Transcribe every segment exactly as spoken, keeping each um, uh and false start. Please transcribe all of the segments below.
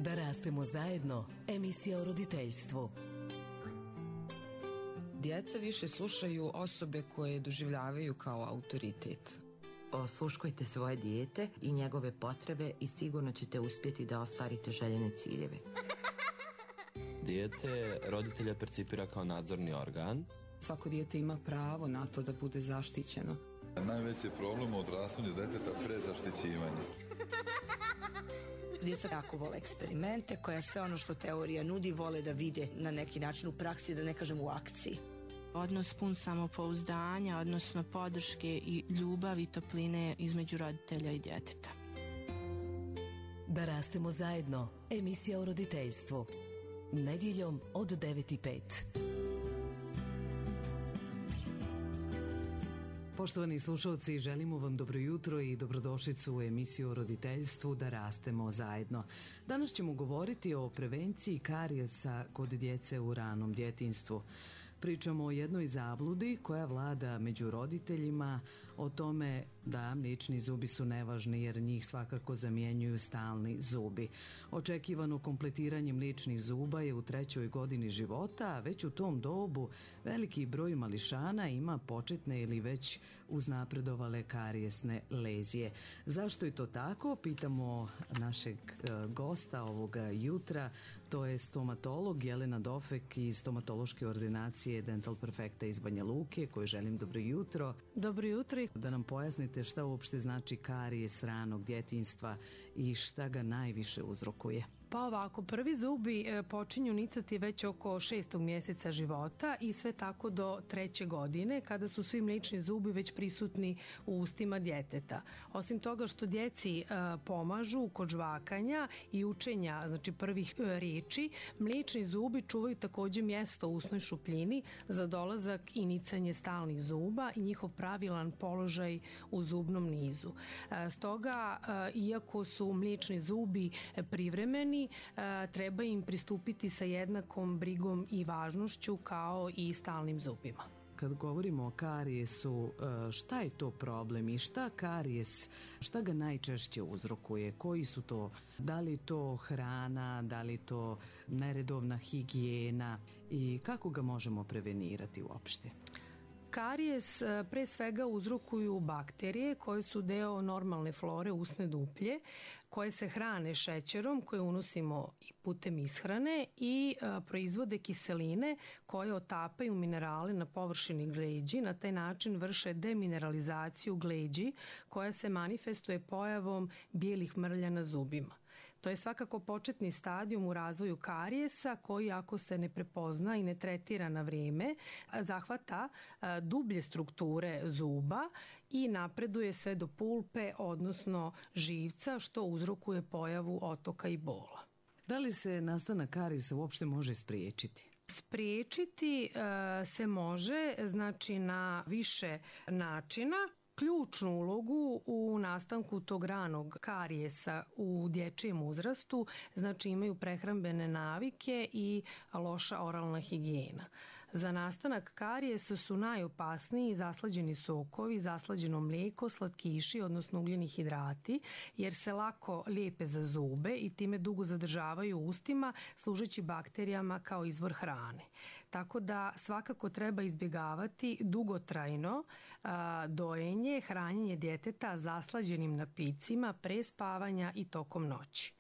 Da rastemo zajedno, emisija o roditeljstvu. Djeca više slušaju osobe koje doživljavaju kao autoritet. Osluškujte svoje dijete i njegove potrebe i sigurno ćete uspjeti da ostvarite željene ciljeve. Dijete roditelja percipira kao nadzorni organ. Svako dijete ima pravo na to da bude zaštićeno. Najveći problem u odrastanju djeteta prezaštićivanje. Djeca jako vole eksperimente, koja sve ono što teorija nudi vole da vide na neki način u praksi, da ne kažem u akciji. Odnos pun samopouzdanja, odnosno podrške i ljubavi i topline između roditelja i djeteta. Da rastemo zajedno, emisija o roditeljstvu. Nedjeljom od devet i pet. Poštovani slušalci, želimo vam dobro jutro i dobrodošlicu u emisiju o roditeljstvu Da rastemo zajedno. Danas ćemo govoriti o prevenciji karijesa kod djece u ranom djetinjstvu. Pričamo o jednoj zabludi koja vlada među roditeljima, o tome da mliječni zubi su nevažni jer njih svakako zamjenjuju stalni zubi. Očekivano kompletiranje mliječnih zuba je u trećoj godini života, a već u tom dobu veliki broj mališana ima početne ili već uznapredovale karijesne lezije. Zašto je to tako? Pitamo našeg gosta ovoga jutra, to je stomatolog Jelena Dofek iz stomatološke ordinacije Dental Perfecta iz Banja Luke, koju želim dobro jutro. Dobro jutro. Da nam pojasnite šta uopšte znači karijes ranog djetinjstva i šta ga najviše uzrokuje. Pa ovako, prvi zubi počinju nicati već oko šestog mjeseca života i sve tako do treće godine, kada su svi mliječni zubi već prisutni u ustima djeteta. Osim toga što djeci pomažu kod žvakanja i učenja, znači prvih riječi, mliječni zubi čuvaju također mjesto u usnoj šupljini za dolazak i nicanje stalnih zuba i njihov pravilan položaj u zubnom nizu. Stoga, iako su mliječni zubi privremeni, treba im pristupiti sa jednakom brigom i važnošću kao i stalnim zubima. Kad govorimo o karijesu, šta je to problem i šta karijes, šta ga najčešće uzrokuje? Koji su to? Da li to hrana, da li to neredovna higijena i kako ga možemo prevenirati uopšte? Karijes pre svega uzrokuju bakterije koje su deo normalne flore usne duplje, koje se hrane šećerom koje unosimo putem ishrane i a, proizvode kiseline koje otapaju minerale na površini gleđi. Na taj način vrše demineralizaciju gleđi koja se manifestuje pojavom bijelih mrlja na zubima. To je svakako početni stadijum u razvoju karijesa koji, ako se ne prepozna i ne tretira na vrijeme, zahvata dublje strukture zuba i napreduje sve do pulpe, odnosno živca, što uzrokuje pojavu otoka i bola. Da li se nastanak karijesa uopšte može spriječiti? Spriječiti e, se može, znači na više načina. Ključnu ulogu u nastanku tog ranog karijesa u dječjem uzrastu znači imaju prehrambene navike i loša oralna higijena. Za nastanak karijesa su najopasniji zaslađeni sokovi, zaslađeno mlijeko, slatkiši, odnosno ugljeni hidrati, jer se lako lijepe za zube i time dugo zadržavaju u ustima, služeći bakterijama kao izvor hrane. Tako da svakako treba izbjegavati dugotrajno a, dojenje, hranjenje djeteta zaslađenim napicima pre spavanja i tokom noći.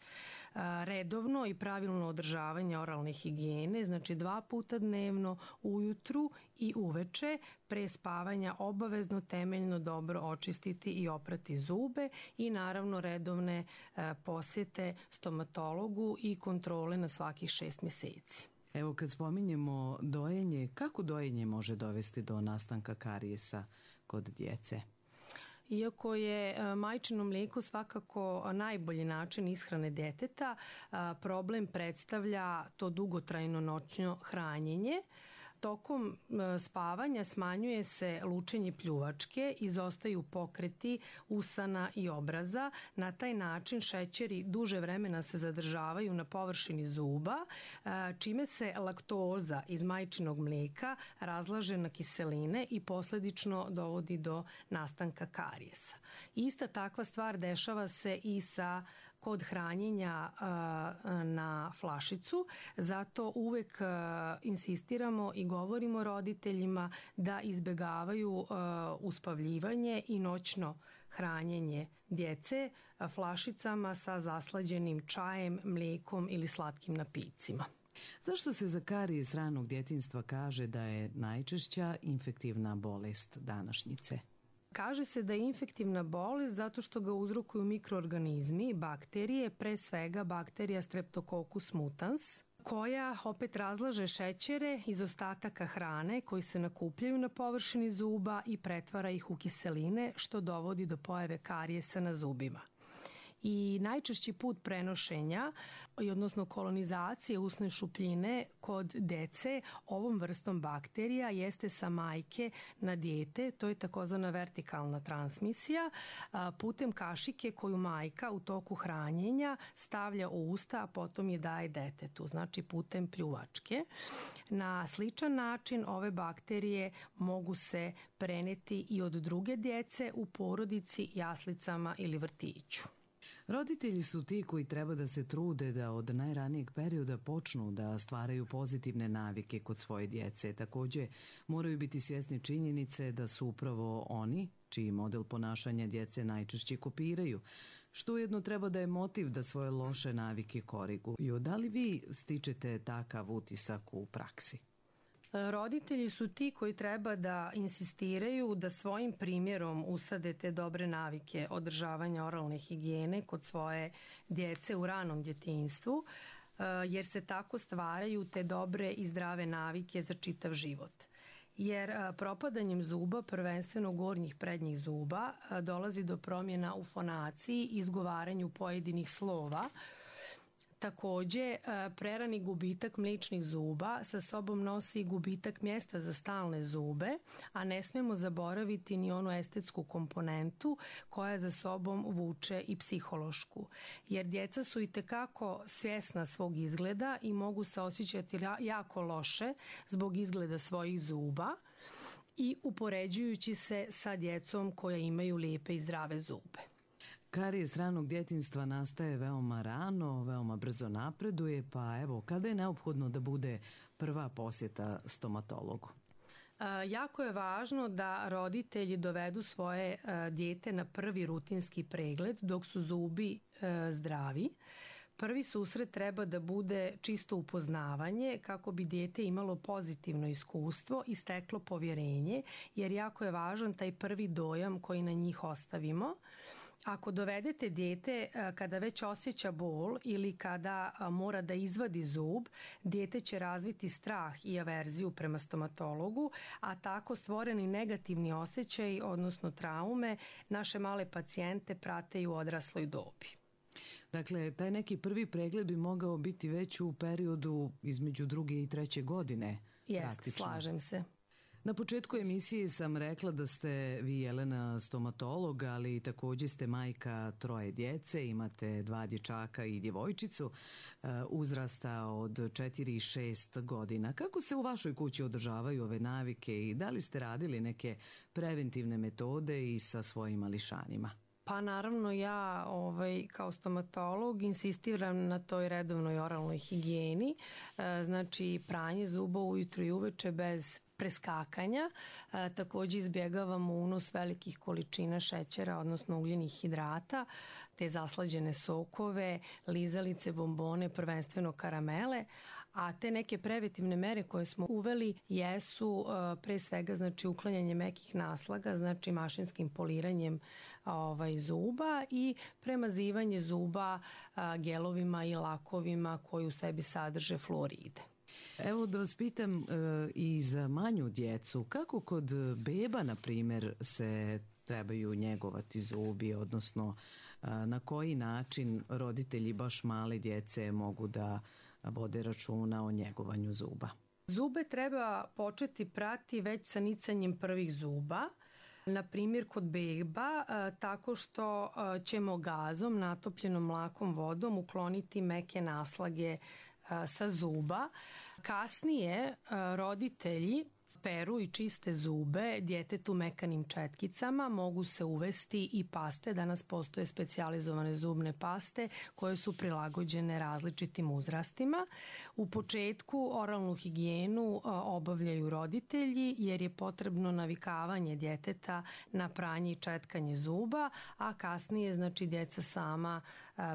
Redovno i pravilno održavanje oralne higijene, znači dva puta dnevno, ujutru i uveče, pre spavanja obavezno temeljno dobro očistiti i oprati zube i naravno redovne posjete stomatologu i kontrole na svakih šest mjeseci. Evo, kad spominjemo dojenje, kako dojenje može dovesti do nastanka karijesa kod djece? Iako je majčino mlijeko svakako najbolji način ishrane djeteta, problem predstavlja to dugotrajno noćno hranjenje. Tokom spavanja smanjuje se lučenje pljuvačke, izostaju pokreti usana i obraza. Na taj način šećeri duže vremena se zadržavaju na površini zuba, čime se laktoza iz majčinog mlijeka razlaže na kiseline i posljedično dovodi do nastanka karijesa. Ista takva stvar dešava se i sa kod hranjenja na flašicu. Zato uvek insistiramo i govorimo roditeljima da izbegavaju uspavljivanje i noćno hranjenje djece flašicama sa zaslađenim čajem, mlijekom ili slatkim napitcima. Zašto se za karijes ranog djetinjstva kaže da je najčešća infektivna bolest današnjice? Kaže se da je infektivna bolest zato što ga uzrokuju mikroorganizmi, bakterije, pre svega bakterija Streptococcus mutans, koja opet razlaže šećere iz ostataka hrane koji se nakupljaju na površini zuba i pretvara ih u kiseline, što dovodi do pojave karijesa na zubima. I najčešći put prenošenja, odnosno kolonizacije usne šupljine kod dece ovom vrstom bakterija jeste sa majke na dijete, to je takozvana vertikalna transmisija, putem kašike koju majka u toku hranjenja stavlja u usta, a potom je daje detetu, znači putem pljuvačke. Na sličan način ove bakterije mogu se preneti i od druge djece u porodici, jaslicama ili vrtiću. Roditelji su ti koji treba da se trude da od najranijeg perioda počnu da stvaraju pozitivne navike kod svoje djece. Također moraju biti svjesni činjenice da su upravo oni, čiji model ponašanja djece najčešće kopiraju, što ujedno treba da je motiv da svoje loše navike koriguju. Da li vi stičete takav utisak u praksi? Roditelji su ti koji treba da insistiraju da svojim primjerom usade te dobre navike održavanja oralne higijene kod svoje djece u ranom djetinjstvu, jer se tako stvaraju te dobre i zdrave navike za čitav život. Jer propadanjem zuba, prvenstveno gornjih prednjih zuba, dolazi do promjena u fonaciji i izgovaranju pojedinih slova. Također, prerani gubitak mliječnih zuba sa sobom nosi i gubitak mjesta za stalne zube, a ne smijemo zaboraviti ni onu estetsku komponentu koja za sobom vuče i psihološku. Jer djeca su itekako svjesna svog izgleda i mogu se osjećati jako loše zbog izgleda svojih zuba i upoređujući se sa djecom koja imaju lijepe i zdrave zube. Karijes ranog djetinjstva nastaje veoma rano, veoma brzo napreduje, pa evo, kada je neophodno da bude prva posjeta stomatologu? Jako je važno da roditelji dovedu svoje dijete na prvi rutinski pregled dok su zubi zdravi. Prvi susret treba da bude čisto upoznavanje kako bi dijete imalo pozitivno iskustvo i steklo povjerenje, jer jako je važan taj prvi dojam koji na njih ostavimo. Ako dovedete dijete kada već osjeća bol ili kada mora da izvadi zub, dijete će razviti strah i averziju prema stomatologu, a tako stvoreni negativni osjećaj, odnosno traume, naše male pacijente prate i u odrasloj dobi. Dakle, taj neki prvi pregled bi mogao biti već u periodu između druge i treće godine. Jeste, slažem se. Na početku emisije sam rekla da ste vi, Jelena, stomatolog, ali također ste majka troje djece, imate dva dječaka i djevojčicu uzrasta od četiri i šest godina. Kako se u vašoj kući održavaju ove navike i da li ste radili neke preventivne metode i sa svojim mališanima? Pa naravno ja ovaj, kao stomatolog insistiram na toj redovnoj oralnoj higijeni, e, znači pranje zuba ujutro i uveče bez preskakanja. E, također izbjegavamo unos velikih količina šećera, odnosno ugljenih hidrata, te zaslađene sokove, lizalice, bombone, prvenstveno karamele. A te neke preventivne mere koje smo uveli jesu uh, pre svega znači uklanjanje mekih naslaga, znači mašinskim poliranjem ovaj, zuba i premazivanje zuba uh, gelovima i lakovima koji u sebi sadrže fluoride. Evo da vas pitam uh, i za manju djecu, kako kod beba, na primjer, se trebaju njegovati zubi, odnosno uh, na koji način roditelji baš male djece mogu da vode računa o njegovanju zuba? Zube treba početi prati već sa nicanjem prvih zuba, na primjer kod beba, tako što ćemo gazom, natopljenom mlakom vodom ukloniti meke naslage sa zuba. Kasnije roditelji peru i čiste zube djetetu mekanim četkicama, mogu se uvesti i paste. Danas postoje specijalizovane zubne paste koje su prilagođene različitim uzrastima. U početku oralnu higijenu obavljaju roditelji jer je potrebno navikavanje djeteta na pranje i četkanje zuba, a kasnije znači djeca sama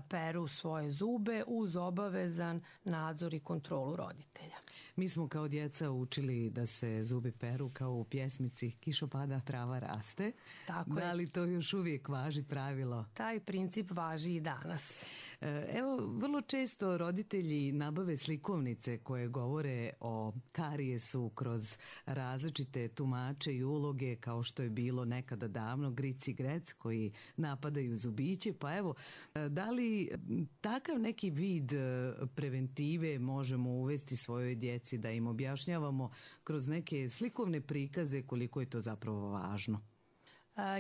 peru svoje zube uz obavezan nadzor i kontrolu roditelja. Mi smo kao djeca učili da se zubi peru kao u pjesmici Kišo pada, trava raste. Tako da je. li to još uvijek važi pravilo? Taj princip važi i danas. Evo, vrlo često roditelji nabave slikovnice koje govore o karijesu kroz različite tumače i uloge, kao što je bilo nekada davno Gric i Grec koji napadaju zubiće. Pa evo, da li takav neki vid preventive možemo uvesti svojoj djeci, da im objašnjavamo kroz neke slikovne prikaze koliko je to zapravo važno?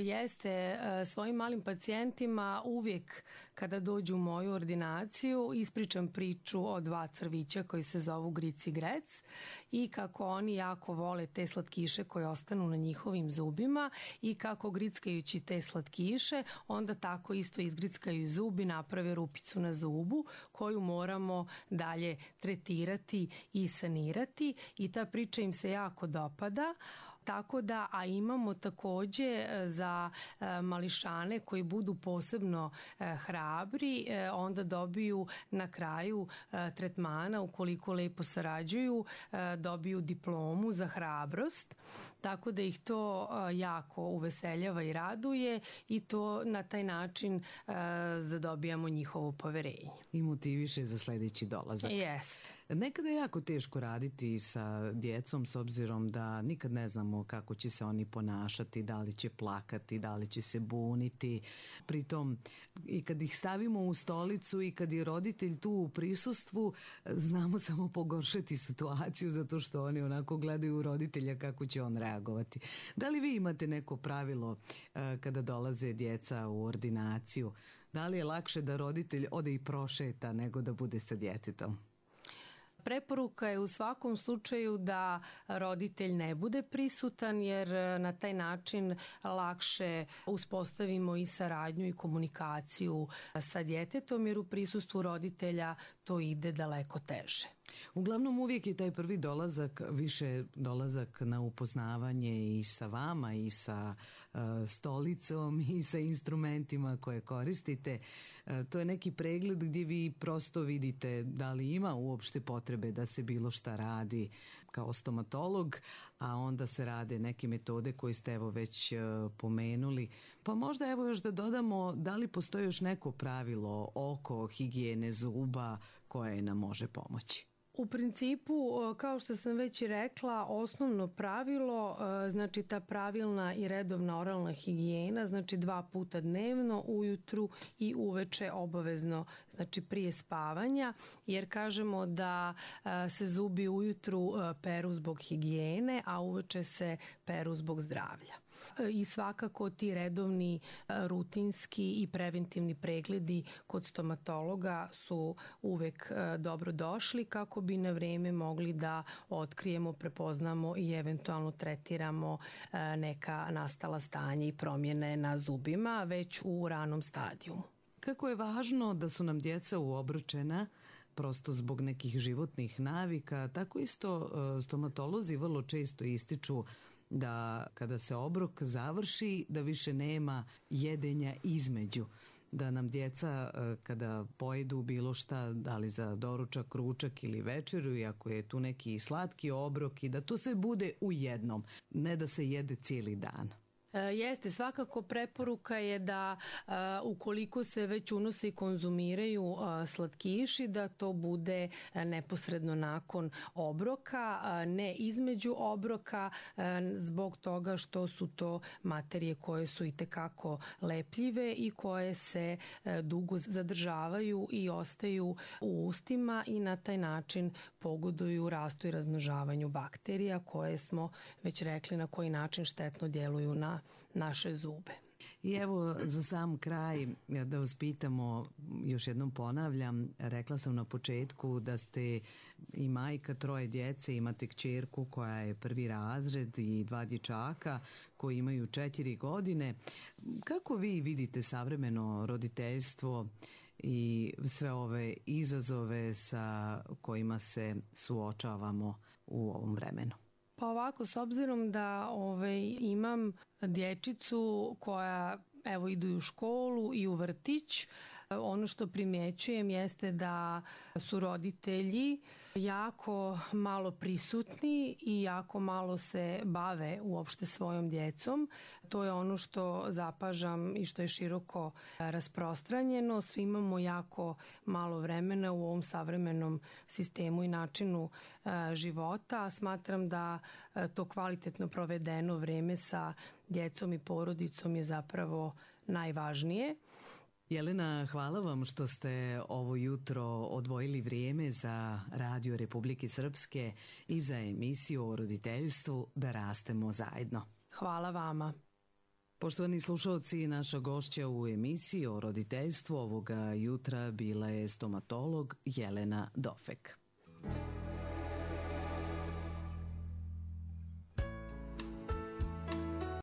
Jeste, svojim malim pacijentima uvijek kada dođu u moju ordinaciju ispričam priču o dva crvića koji se zovu Gric i Grec i kako oni jako vole te slatkiše koje ostanu na njihovim zubima i kako grickajući te slatkiše onda tako isto izgrickaju zubi, naprave rupicu na zubu koju moramo dalje tretirati i sanirati i ta priča im se jako dopada. Tako da, a imamo također za mališane koji budu posebno hrabri, onda dobiju na kraju tretmana, ukoliko lepo sarađuju, dobiju diplomu za hrabrost. Tako da ih to jako uveseljava i raduje i to na taj način zadobijamo njihovo poverenje. I motiviše za sljedeći dolazak. Jest. Nekada je jako teško raditi sa djecom s obzirom da nikad ne znamo kako će se oni ponašati, da li će plakati, da li će se buniti. Pritom i kad ih stavimo u stolicu i kad je roditelj tu u prisustvu, znamo samo pogoršati situaciju zato što oni onako gledaju roditelja kako će on reagovati. Da li vi imate neko pravilo kada dolaze djeca u ordinaciju? Da li je lakše da roditelj ode i prošeta nego da bude sa djetetom? Preporuka je u svakom slučaju da roditelj ne bude prisutan jer na taj način lakše uspostavimo i saradnju i komunikaciju sa djetetom jer u prisustvu roditelja to ide daleko teže. Uglavnom uvijek je taj prvi dolazak više dolazak na upoznavanje i sa vama i sa uh, stolicom i sa instrumentima koje koristite. Uh, to je neki pregled gdje vi prosto vidite da li ima uopšte potrebe da se bilo šta radi kao stomatolog, a onda se rade neke metode koje ste evo već uh, pomenuli. Pa možda evo još da dodamo da li postoji još neko pravilo oko higijene zuba koje nam može pomoći. U principu, kao što sam već i rekla, osnovno pravilo, znači ta pravilna i redovna oralna higijena, znači dva puta dnevno, ujutru i uveče obavezno, znači prije spavanja, jer kažemo da se zubi ujutru peru zbog higijene, a uveče se peru zbog zdravlja. I svakako ti redovni rutinski i preventivni pregledi kod stomatologa su uvek dobro došli kako bi na vrijeme mogli da otkrijemo, prepoznamo i eventualno tretiramo neka nastala stanja i promjene na zubima već u ranom stadijumu. Kako je važno da su nam djeca uobručena prosto zbog nekih životnih navika, tako isto stomatolozi vrlo često ističu da kada se obrok završi da više nema jedenja između, da nam djeca kada pojedu bilo šta, da li za doručak, ručak ili večeru, i ako je tu neki slatki obrok, i da to sve bude u jednom, ne da se jede cijeli dan. Jeste, svakako preporuka je da uh, ukoliko se već unose i konzumiraju uh, slatkiši, da to bude uh, neposredno nakon obroka, uh, ne između obroka, uh, zbog toga što su to materije koje su itekako lepljive i koje se uh, dugo zadržavaju i ostaju u ustima i na taj način pogoduju rastu i razmnožavanju bakterija koje smo već rekli na koji način štetno djeluju na naše zube. I evo za sam kraj da vas pitamo, još jednom ponavljam, rekla sam na početku da ste i majka troje djece, imate kćerku koja je prvi razred i dva dječaka koji imaju četiri godine. Kako vi vidite savremeno roditeljstvo i sve ove izazove sa kojima se suočavamo u ovom vremenu? Pa ovako, s obzirom da ovaj, imam dječicu koja evo idu i u školu i u vrtić, ono što primjećujem jeste da su roditelji jako malo prisutni i jako malo se bave uopšte svojom djecom. To je ono što zapažam i što je široko rasprostranjeno. Svi imamo jako malo vremena u ovom savremenom sistemu i načinu života. Smatram da to kvalitetno provedeno vreme sa djecom i porodicom je zapravo najvažnije. Jelena, hvala vam što ste ovo jutro odvojili vrijeme za Radio Republike Srpske i za emisiju o roditeljstvu Da rastemo zajedno. Hvala vama. Poštovani slušalci, naša gošća u emisiji o roditeljstvu ovoga jutra bila je stomatolog Jelena Dofek.